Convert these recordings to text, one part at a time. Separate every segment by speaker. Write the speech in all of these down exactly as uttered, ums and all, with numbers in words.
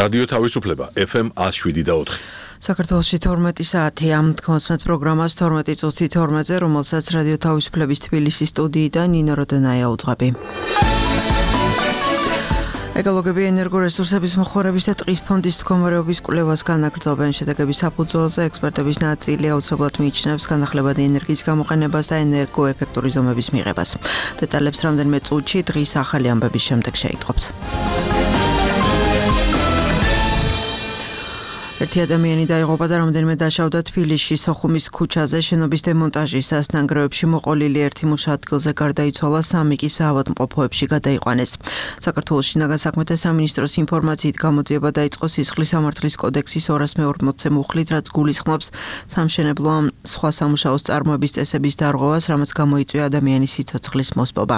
Speaker 1: რადიო თავისუფლება ეფ ემ ათს შვიდი და ოთხი.
Speaker 2: საქართველოში თორმეტი საათია. კონსმეთ პროგრამას თორმეტი წუთი თორმეტზე, რომელსაც რადიო თავისუფლების თბილისის სტუდიიდან ნინო როდონაია უძღვები. ეკოლოგები ენერგორესურსების მოხმარების და ტყის ფონდის მდგომარეობის კვლევას განაგრძობენ. შედეგების საფუძველზე ექსპერტების ნაწილი აუცილებლად მიიჩნევს განახლებადი ენერგიის გამოყენებას და ენერგოეფექტური ზომების მიღებას. დეტალებს რამდენიმე წუთში დღის ახალი ამბების შემდეგ შეიტყობთ. ერთი ადამიანი დაიღუპა და რამდენიმე დაშავდა თბილისში სოხუმის ქუჩაზე შენობის დემონტაჟისას. ნანგრევებში მოყოლილი ერთი მუშა ადგილზე გარდაიცვალა, სამი კი საავადმყოფოებში გადაიყვანეს. საქართველოს შინაგან საქმეთა სამინისტროს ინფორმაციით გამოძიება დაიწყო სისხლის სამართლის კოდექსის ორას მეორმოცე მუხლით, რაც გულისხმობს სამშენებლო ან სხვა სამუშაოს წარმოების წესების დარღვევას, რამაც გამოიწვია ადამიანის სიცოცხლის მოსპობა.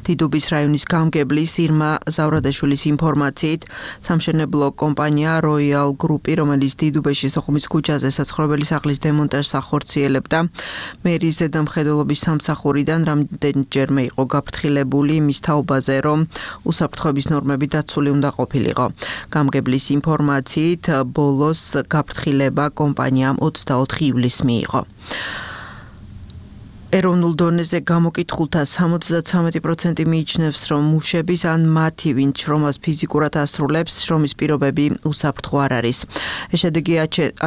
Speaker 2: დიდუბის რაიონის გამგებლის ირმა ზავრადაშვილის ინფორმაციით სამშენებლო კომპანია როიალ გრუპი, რომელიც დიდუბეში სოხუმის ქუჩაზე საცხოვრებელი სახლის დემონტაჟს ახორციელებდა, მერის ზედამხედველობის სამსახურიდან რამდენჯერმე იყო გაფრთხილებული იმის თაობაზე, რომ უსაფრთხოების ნორმები დაცული უნდა ყოფილიყო. გამგებლის ინფორმაციით ბოლოს გაფრთხილება კომპანიამ ოცდაოთხი ივლისს მიიღო. ეროვნულ დონეზე გამოკითხულთა სამოცდათვრამეტი პროცენტი მიიჩნევს, რომ მუშების ან მათი, ვინც შრომას ფიზიკურად ასრულებს, შრომის პირობები უსაფრთხო არ არის. ეს შედეგი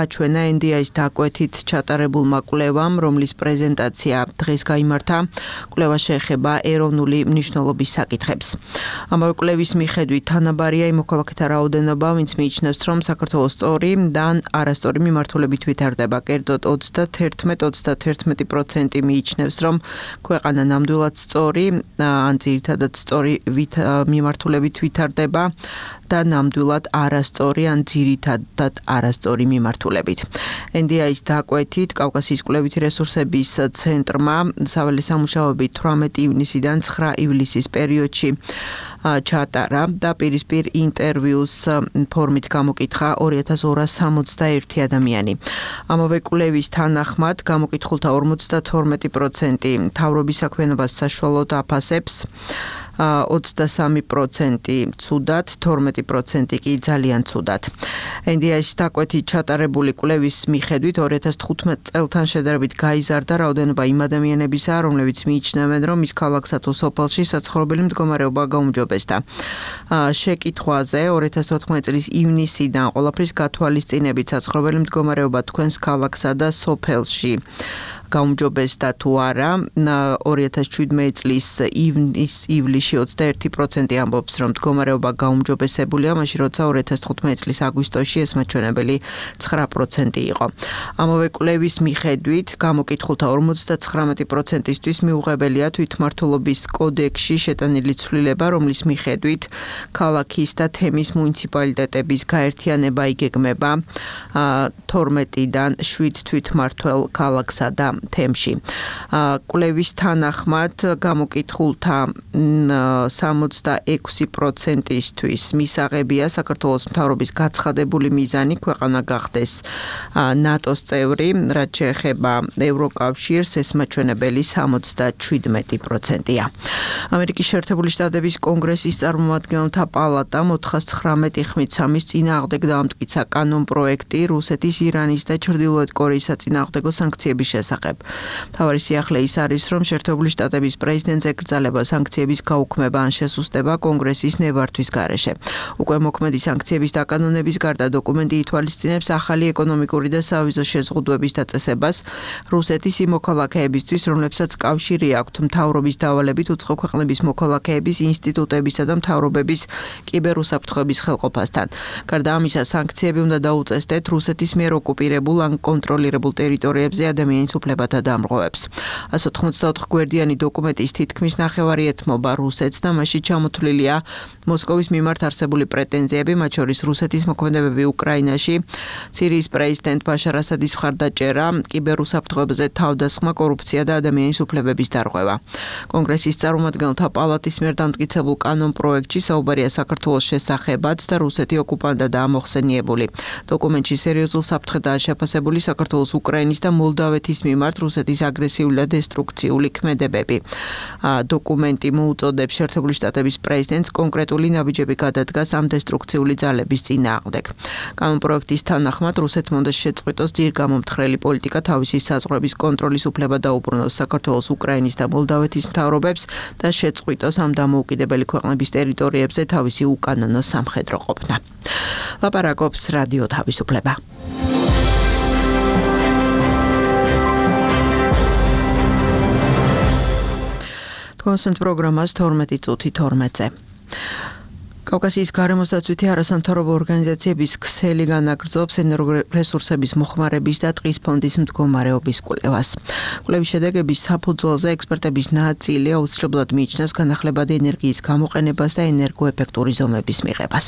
Speaker 2: აჩვენა ენ დი აის დაკვეთით ჩატარებულმა კვლევამ, რომლის პრეზენტაცია დღეს გაიმართა. კვლევა შეეხება ეროვნული მნიშვნელობის საკითხებს. ამავე კვლევის მიხედვით თანაბარია იმ მოქალაქეთა რაოდენობა, ვინც მიიჩნევს, რომ საქართველოს სწორი და არასწორი მიმართულებით ვითარდება. კერძოდ ოცდათერთმეტ ოცდათერთმეტი პროცენტი მიიჩნევს, რომ ქვეყანა ნამდვილად სწორი ან ძირითადად სწორი მიმართულებით ვითარდება და ნამდვილად არასწორი ან ძირითადად არასწორი მიმართულებით. ენ დი აის დაკვეთით კავკასიის კვლევითი რესურსების ცენტრმა საველე სამუშაოები თვრამეტი ივნისიდან ცხრა ივლისის პერიოდში ჩატარა და პირისპირ ინტერვიუს ფორმით გამოკითხა ორი ათას ორას სამოცდაერთი ადამიანი. ამავე კვლევის თანახმად გამოკითხულთა ორმოცდათორმეტი პროცენტი მთავრობის საქმიანობას საშუალოდ აფასებს, ოცდასამი პროცენტი ცუდად, თორმეტი პროცენტი კი ძალიან ცუდად. ენ დი აის დაკვეთით ჩატარებული კვლევის მიხედვით ორი ათას თხუთმეტ წელთან შედარებით გაიზარდა რაოდენობა იმ ადამიანებისა, რომლებიც მიიჩნევენ, რომ ის ქალაქსა თუ სოფელში საცხოვრებელი მდგომარეობა გაუმჯობესდა. შეკითხვაზე ორი ათას თოთხმეტი წლის ივნისიდან ყველაფრის გათვალისწინებით საცხოვრებელი მდგომარეობა თქვენს ქალაქსა და სოფელში გაუმჯობესდა თუ არა, ორი ათას შვიდმეტი წლის ივლისში ოცდაერთი პროცენტი ამბობს, რომ მდგომარეობა გაუმჯობესებულია, მაშინ როცა ორი ათას თხუთმეტი წლის აგვისტოში ეს მაჩვენებელი ცხრა პროცენტი იყო. ამავე კვლევის მიხედვით გამოკითხულთა ორმოცდათვრამეტი პროცენტისთვის მიუღებელია თვითმმართველობის კოდექსში შეტანილი ცვლილება, რომლის მიხედვით ქალაქის და თემის მუნიციპალიტეტების გაერთიანება იგეგმება თორმეტიდან შვიდ თვითმმართველ ქალაქსა და თემში. კვლევის თანახმად გამოკითხულთა სამოცდაექვსი პროცენტისთვის მისაღებია საქართველოს მთავრობის გაცხადებული მიზანი ქვეყანა გახდეს ნატოს წევრი, რაც შეეხება ევროკავშირს, ეს მაჩვენებელი სამოცდაშვიდმეტი პროცენტია. ამერიკის შეერთებული შტატების კონგრესის წარმომადგენელთა პალატამ ოთხას ცხრამეტი ხმით სამის წინააღმდეგ დაამტკიცა კანონპროექტი რუსეთის, ირანის და ჩრდილოეთ კორეის საწინააღმდეგო სანქციების შესახებ. მთავარი სიახლე ის არის, რომ შეერთებული შტატების პრეზიდენტს ეკრძალება სანქციების გაუქმება ან შესუსტება კონგრესის ნებართვის გარეშე. უკვე მოქმედი სანქციების დაკანონების გარდა დოკუმენტი ითვალისწინებს ახალი ეკონომიკური და სავიზო შეზღუდვების დაწესებას რუსეთის იმ მოქალაქეებისთვის, რომლებსაც კავშირი აქვთ მთავრობის დავალებით უცხო ქვეყნების მოქალაქეების, ინსტიტუტებისა და მთავრობების კიბერუსაფრთხოების ხელყოფასთან. გარდა ამისა, სანქციები უნდა დაუწესდეთ რუსეთის მიერ ოკუპირებულ ან კონტროლირებულ ტერიტორიებზე ადამიანის უფლებათა დამრღვევებს. ასო თხმოცდაოთხ გვერდიანი დოკუმენტის თითქმის ნახევარი ეთმობა რუსეთს და მასში ჩამოთვლილია მოსკოვის მიმართ არსებული პრეტენზიები, მათ შორის რუსეთის მოქმედებები უკრაინაში, სირიის პრეზიდენტ ბაშარ ასადის მხარდაჭერა, კიბერუსაფრთხოებზე თავდასხმა, კორუფცია და ადამიანის უფლებების დარღვევა. კონგრესის წარმომადგენელთა პალატის მიერ დამტკიცებულ კანონპროექტში საუბარია საქართველოს შესახებაც და რუსეთი ოკუპანტა და ამოხსენიებული. დოკუმენტში სერიოზულ საფრთხედაა შეფასებული საქართველოს, უკრაინის და მოლდავეთის მიმართ მიმართ რუსეთის აგრესიული და დესტრუქციული ქმედებები. დოკუმენტი მოუწოდებს შეერთებული შტატების პრეზიდენტს კონკრეტული ნაბიჯები გადადგას ამ დესტრუქციული ძალების წინააღმდეგ. კანონპროექტის თანახმად რუსეთმა უნდა შეწყვიტოს ძირგამომთხრელი პოლიტიკა თავისი საზღვრების კონტროლის უფლება დაუბრუნოს საქართველოს, უკრაინის და მოლდავეთის მთავრობებს და შეწყვიტოს ამ დამოუკიდებელი ქვეყნების ტერიტორიებზე თავისი უკანონო სამხედრო ყოფნა. ლაპარაკობს რადიო თავისუფლება. კონსენტ პროგრამას თორმეტი წუთი თორმეტზე. კავკასიის გარემოსდაცვითი არასამთავრობო ორგანიზაციების ქსელი განაგრძობს ენერგორესურსების მოხმარების და ტყის ფონდის მდგომარეობის კვლევას. კვლევის შედეგების საფუძველზე ექსპერტების ნაწილი აუცილებლად მიიჩნევს განახლებადი ენერგიის გამოყენებას და ენერგოეფექტური ზომების მიღებას.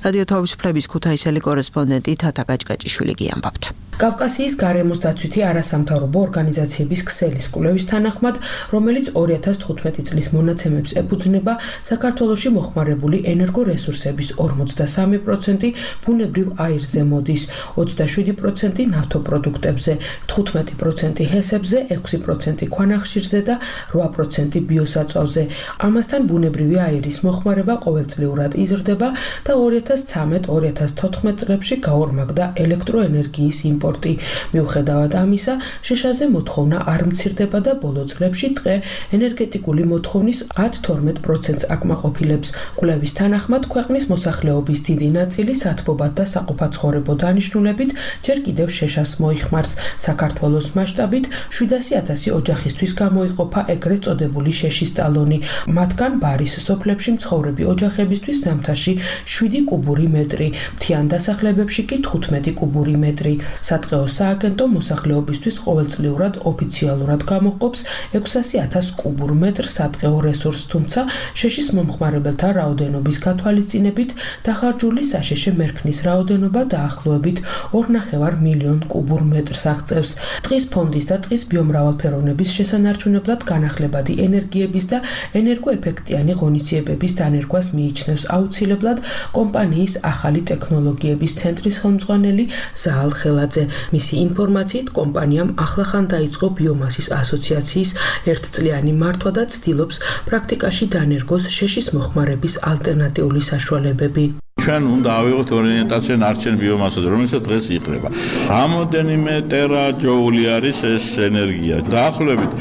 Speaker 2: რადიო თავისუფლების ქუთაისელი კორესპონდენტი თათა გაჭგაჭიშვილი გიამბობთ.
Speaker 3: კავკასიის გარემოსდაცვითი არასამთავრობო ორგანიზაციების ქსელის კვლევის თანახმად, რომელიც ორი ათას თხუთმეტი წლის მონაცემებს ეფუძნება, საქართველოში მოხმარებული ენერგორესურსების ორმოცდასამი პროცენტი ბუნებრივ აირზე მოდის, ოცდაშვიდი პროცენტი ნავთობპროდუქტებზე, თხუთმეტი პროცენტი ჰესებზე, ექვსი პროცენტი ქვანახშირზე და რვა პროცენტი ბიოსაწვავზე. ამასთან ბუნებრივი აირის მოხმარება ყოველწლიურად იზრდება და ორი ათას ცხრამეტ ორი ათას თოთხმეტ წლებში გაორმაგდა ელექტროენერგიის იმპორტი. მიუხედავად ამისა, შეშაზე მოთხოვნა არ მცირდება და ბოლო წლებში ტყე ენერგეტიკული მოთხოვნის ათ თორმეტ პროცენტს აკმაყოფილებს. კვლევის თანახმად, ქვეყნის მოსახლეობის დიდი ნაწილი სათბობად და საყოფაცხოვრებო დანიშნულებით ჯერ კიდევ შეშას მოიხმარს. საქართველოს მასშტაბით შვიდასი ათასი ოჯახისთვის გამოიყოფა ეგრეთ წოდებული შეშის ტალონი. მათგან ბარის სოფლებში მცხოვრები ოჯახებისთვის ზამთარში შვიდი კუბური მეტრი, მთიან დასახლებებში კი თხუთმეტი კუბური მეტრი. სატყეო სააგენტო მოსახლეობისთვის ყოველწლიურად ოფიციალურად გამოჰყოფს ექვსასი ათას კუბურ მეტრ სატყეო რესურსს, თუმცა შეშის მომხმარებელთა რაოდენობის გათვალისწინებით დახარჯული საშეშე მერქნის რაოდენობა დაახლოებით ორ ნახევარ მილიონ კუბურ მეტრს აღწევს. ტყის ფონდის და ტყის ბიომრავალფეროვნების შესანარჩუნებლად განახლებადი ენერგიების და ენერგოეფექტიანი ღონისძიებების დანერგვას მიიჩნევს აუცილებლად კომპანიის ახალი ტექნოლოგიების ცენტრის ხელმძღვანელი ზაალ ხელაძე. მისი ინფორმაციით, კომპანიამ ახლახან დაიწყო ბიომასის ასოციაციის ერთწლიანი მართვა და ცდილობს პრაქტიკაში დანერგოს შეშის მოხმარების ალტერნატიული საშუალებები.
Speaker 4: ჩვენ უნდა ავიღოთ ორიენტაცია ნარჩენ ბიომასაზე, რომელსაც დღეს იყრება. რამოდენიმე ტერაჯოული არის ეს ენერგია. დაახლოებით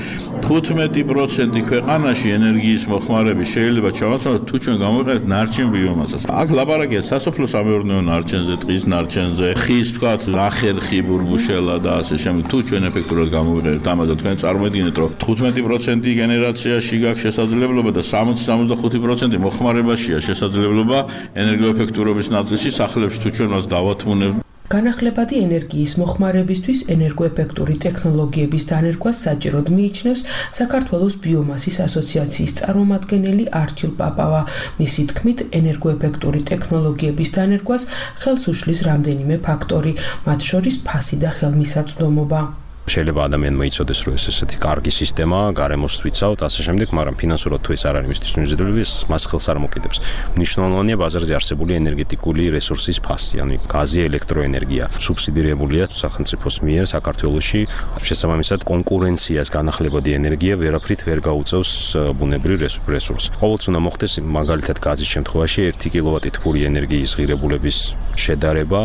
Speaker 4: თხუთმეტი პროცენტი ქვეყანაში ენერგიის მოხმარების შეიძლება ჩავაცვალოთ თუ ჩვენ გამოვიყენებთ ნარჩენ ბიომასას. აქ ლაპარაკია სასოფლო-სამეურნეო ნარჩენზე, ტყის ნარჩენზე, ხის თქვათ ნახერხი ბურბუშელა და ასე შემდეგ. თუ ჩვენ ეფექტურად გამოვიყენებთ ამაზე, თქვენ წარმოიდგინეთ, რომ თხუთმეტი პროცენტი გენერაციაში გაქვს შესაძლებლობა და სამოცი სამოცდახუთი პროცენტი მოხმარებაშია შესაძლებლობა ენერგოეფექტურობის ნაწილში სახლებში თუ ჩვენ მას დავათმუნებთ.
Speaker 3: განახლებადი ენერგიის მოხმარებისთვის ენერგოეფექტური ტექნოლოგიების დანერგვას საჭიროდ მიიჩნევს საქართველოს ბიომასის ასოციაციის წარმომადგენელი არჩილ პაპავა. მისი თქმით, ენერგოეფექტური ტექნოლოგიების დანერგვას ხელს უშლის რამდენიმე ფაქტორი, მათ შორის ფასი და ხელმისაწვდომობა.
Speaker 5: შეიძლება ადამიანმა იცოდეს, რომ ეს ესეთი კარგი სისტემაა, გარემოს ვიცავთ, ასე შემდეგ, მაგრამ ფინანსურად თუ ეს არ არის მისთვის მიზიდვლები, მას ხელს არ მოკიდებს. მნიშვნელოვანია ბაზარზე არსებული ენერგეტიკული რესურსის ფასი, ანუ გაზი, ელექტროენერგია, სუბსიდირებულია სახელმწიფოს მიერ საქართველოში. შესაბამისად, კონკურენციას განახლებადი ენერგია ვერაფრით ვერ გაუწევს ბუნებრივ რესურსს. ყოველთვის უნდა მოხდეს მაგალითად გაზის შემთხვევაში ერთი კილოვატი თბური ენერგიის ღირებულების შედარება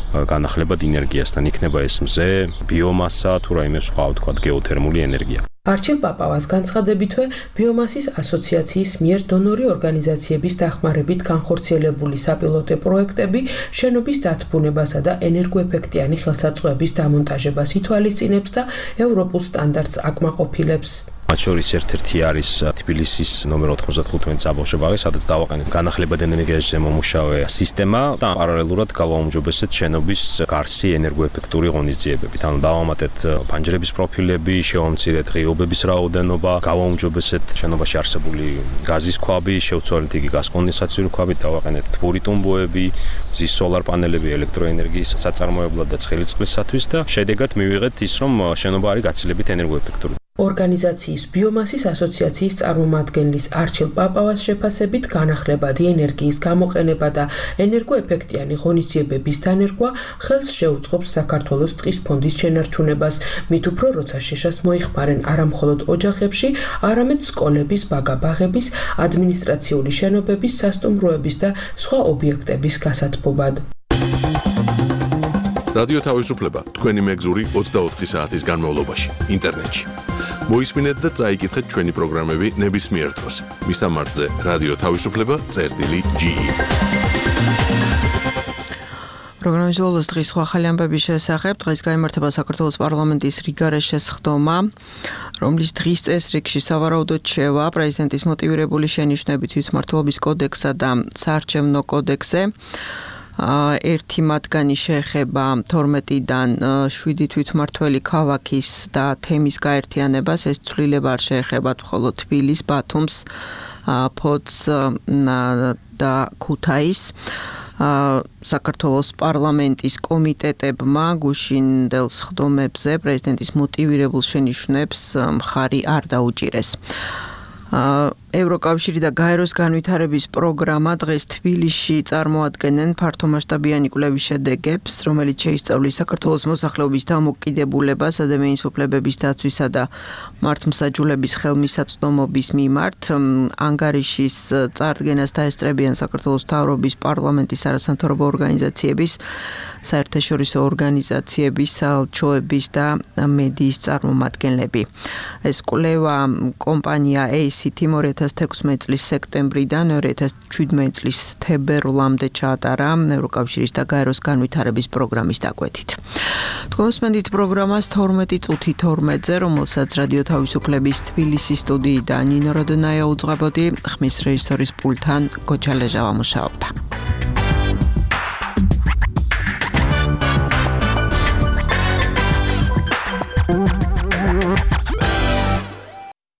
Speaker 5: განახლებად ენერგიასთან. იქნება ეს მზე, ბიომასა თუ რაიმე სხვა, თქვათ, გეოთერმული ენერგია.
Speaker 3: არჩილ პაპავას განცხადებითვე, ბიომასის ასოციაციის მიერ დონორი ორგანიზაციების დახმარებით განხორციელებული საპილოტო პროექტები შენობის დათბუნებასა და ენერგოეფექტიანი ხელსაწყოების დამონტაჟებას ითვალისწინებს და ევროპულ სტანდარტს აკმაყოფილებს.
Speaker 5: მათ შორის ერთ-ერთი არის თბილისის ნომერ ოთხმოცდახუთმეტი საბავშვო ბაღი, სადაც დავაყენეთ განახლებადი ენერგიაზე მომუშავე სისტემა და პარალელურად გავაუმჯობესეთ შენობის გარსი ენერგოეფექტური ღონისძიებებით. ანუ დავამატეთ ფანჯრების პროფილები, შევამცირეთ ღიობების რაოდენობა, გავაუმჯობესეთ შენობაში არსებული გაზის ქვაბი, შევცვალეთ იგი გაზკონდენსაციური ქვაბით, დავაყენეთ თბური ტუმბოები, მზის სოლარ პანელები ელექტროენერგიის საწარმოებლად და ცხელი წყლისათვის და შედეგად მივიღეთ ის, რომ შენობა არის გაცილებით ენერგოეფექტური.
Speaker 3: ორგანიზაციის ბიომასის ასოციაციის წარმომადგენლის არჩილ პაპავას შეფასებით განახლებადი ენერგიის გამოყენება და ენერგოეფექტიანი ღონისძიებების დანერგვა ხელს შეუწყობს საქართველოს ტყის ფონდის შენარჩუნებას, მით უფრო როცა შეშას მოიხმარენ არა მხოლოდ ოჯახებში, არამედ სკოლების, ბაგა-ბაღების, ადმინისტრაციული შენობების, სასტუმროების და სხვა ობიექტების გასათბობად.
Speaker 1: რადიო თავისუფლება თქვენი მეგზური ოცდაოთხი საათის განმავლობაში ინტერნეტში. მოისმინეთ და წაიკითხეთ ჩვენი პროგრამები ნებისმიერ დროს. მისამართზე რადიო თავისუფლება წერტილი ჯი.
Speaker 2: პროგრამის ბოლოს დღის სხვა ახალი ამბების შესახებ დღეს გაიმართება საქართველოს პარლამენტის რიგარეს შესხდომა, რომლის დღის წესრიგში სავარაუდოდ შევა პრეზიდენტის მოტივირებული შენიშვნებით თვითმმართველობის კოდექსსა და საარჩევნო კოდექსზე. ერთი მათგანი შეეხება თორმეტიდან შვიდი თვითმმართველი ქალაქის და თემის გაერთიანებას, ეს ცვლილება არ შეეხება მხოლოდ თბილისს, ბათუმს, ფოთს და ქუთაისს. საქართველოს პარლამენტის კომიტეტებმა გუშინდელ სხდომებზე პრეზიდენტის მოტივირებულ შენიშვნებს მხარი არ დაუჭირეს. ევროკავშირი და გაეროს განვითარების პროგრამა დღეს თბილისში წარმოადგენენ ფართომასშტაბიანი კვლევის შედეგებს, რომელიც შეისწავლის საქართველოს მოსახლეობის დამოკიდებულებას ადამიანის უფლებების დაცვისა და მართლმსაჯულების ხელმისაწვდომობის მიმართ. ანგარიშის წარდგენას დაესწრებიან საქართველოს მთავრობის, პარლამენტის, არასამთავრობო ორგანიზაციების, საერთაშორისო ორგანიზაციების, საელჩოების და მედიის წარმომადგენლები. ეს კვლევა კომპანია ეი სი თი ორი ათას თექვსმეტი წლის სექტემბრიდან ორი ათას შვიდმეტი წლის თებერვლამდე ჩაატარა ევროკავშირის და გაეროს განვითარების პროგრამის დაკვეთით. თქვენ მოსმენთ პროგრამას თორმეტი წუთი თორმეტზე, რომელსაც რადიო თავისუფლების თბილისის სტუდიიდან ნინო როდონაია უძღვებოდი, ხმის რეჟისორის პულტთან გოჩა ლეჟავა მუშაობდა.